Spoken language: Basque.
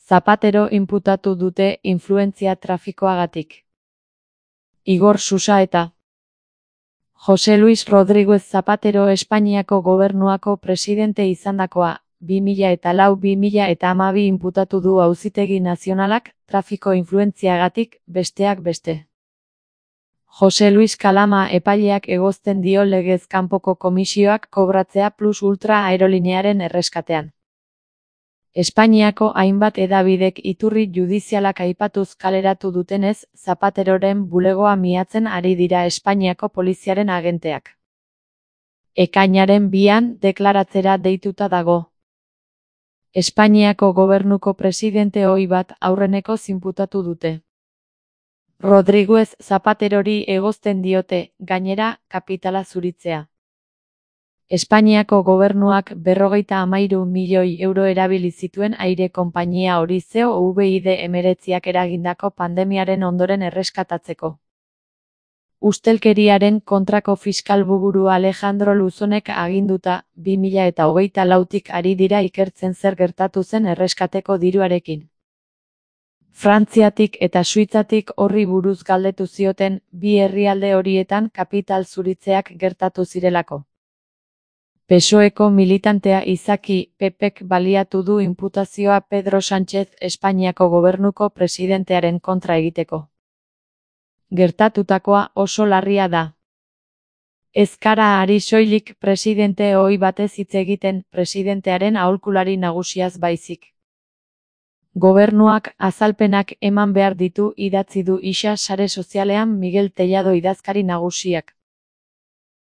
Zapatero inputatu dute influentzia trafikoagatik. Igor Susaeta. Jose Luis Rodríguez Zapatero Espainiako gobernuako presidente izandakoa, 2004-2012 inputatu du Auzitegi Nazionalak, trafiko influentziagatik, besteak beste. Jose Luis Kalama epaileak egozten dio legez kanpoko komisioak kobratzea Plus Ultra aerolinearen erreskatean. Espainiako hainbat hedabidek iturri judizialak aipatuz kaleratu dutenez, Zapateroren bulegoa miatzen ari dira Espainiako poliziaren agenteak. Ekainaren 2an deklaratzera deituta dago. Espainiako gobernuko presidente ohi bat aurreneko inputatu dute. Rodríguez Zapaterori egozten diote, gainera, kapitala zuritzea. Espainiako gobernuak 53 milioi euro erabili zituen aire konpainia hori COVID-19 eragindako pandemiaren ondoren erreskatatzeko. Ustelkeriaren kontrako fiskal buru Alejandro Luzonek aginduta, 2024tik ari dira ikertzen zer gertatu zen erreskateko diruarekin. Frantziatik eta Suitzatik horri buruz galdetu zioten, bi herrialde horietan kapital zuritzeak gertatu zirelako. PSOEko militantea izaki, PPek baliatu du inputazioa Pedro Sánchez Espainiako gobernuko presidentearen kontra egiteko. Gertatutakoa oso larria da. Ez gara ari soilik presidente ohi batez hitz egiten, presidentearen aholkulari nagusiaz baizik. Gobernuak azalpenak eman behar ditu idatzi du isa sare sozialean Miguel Tellado idazkari nagusiak.